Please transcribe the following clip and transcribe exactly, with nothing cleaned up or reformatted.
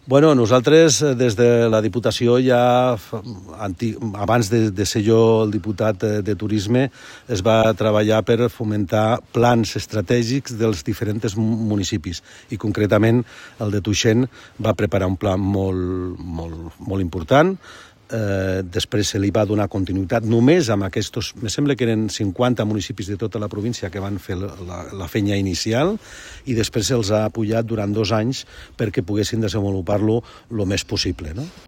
Bueno, nosaltres des de la Diputació ja, abans de, de ser jo el diputat de Turisme, es va treballar per fomentar plans estratègics dels diferents municipis i concretament el de Tuixén va preparar un pla molt, molt, molt important. Eh, després se li va donar continuïtat només amb aquests, me sembla que eren cinquanta municipis de tota la província que van fer la, la feina inicial i després se'ls ha apujat durant dos anys perquè poguessin desenvolupar-lo el més possible, no?